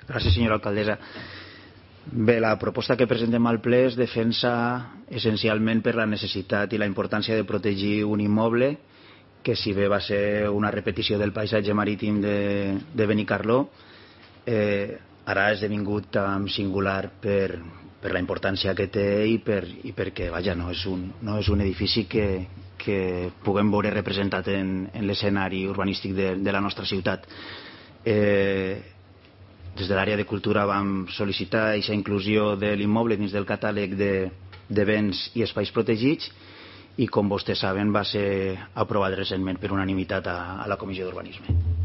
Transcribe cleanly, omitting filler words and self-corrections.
Gràcies, senyora alcaldessa. Bé, la proposta que presentem al ple es defensa essencialment per la necessitat i la importància de protegir un immoble que, si bé va ser una repetició del paisatge marítim de Benicarló, ara ha esdevingut tan singular per la importància que té i perquè, vaja, no és un edifici que puguem veure representat en l'escenari urbanístic de la nostra ciutat. Des de l'àrea de cultura vam sol·licitar aquesta inclusió de l'immoble dins del catàleg de béns i espais protegits i, com vostès saben, va ser aprovat recentment per unanimitat a la Comissió d'Urbanisme.